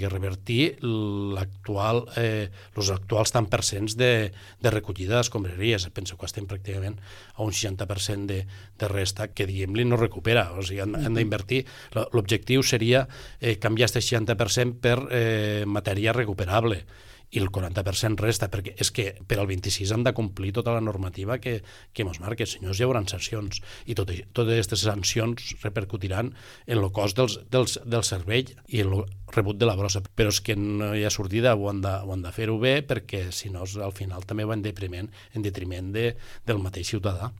i revertir els actuals tant percents de recollida d'escombraries. Penso que estem pràcticament a un 60% de resta que, diguem-li, no recupera. O sigui, hem d'invertir. L'objectiu seria canviar aquest 60% per matèria recuperable, i el 40% resta, perquè és que per al 26 hem de complir tota la normativa que ens marca, senyors, hi haurà sancions, i totes aquestes sancions repercutiran en el cost del servei i el rebut de la brossa. Però és que no hi ha sortida, ho han de fer-ho bé, perquè si no al final també va en detriment del mateix ciutadà.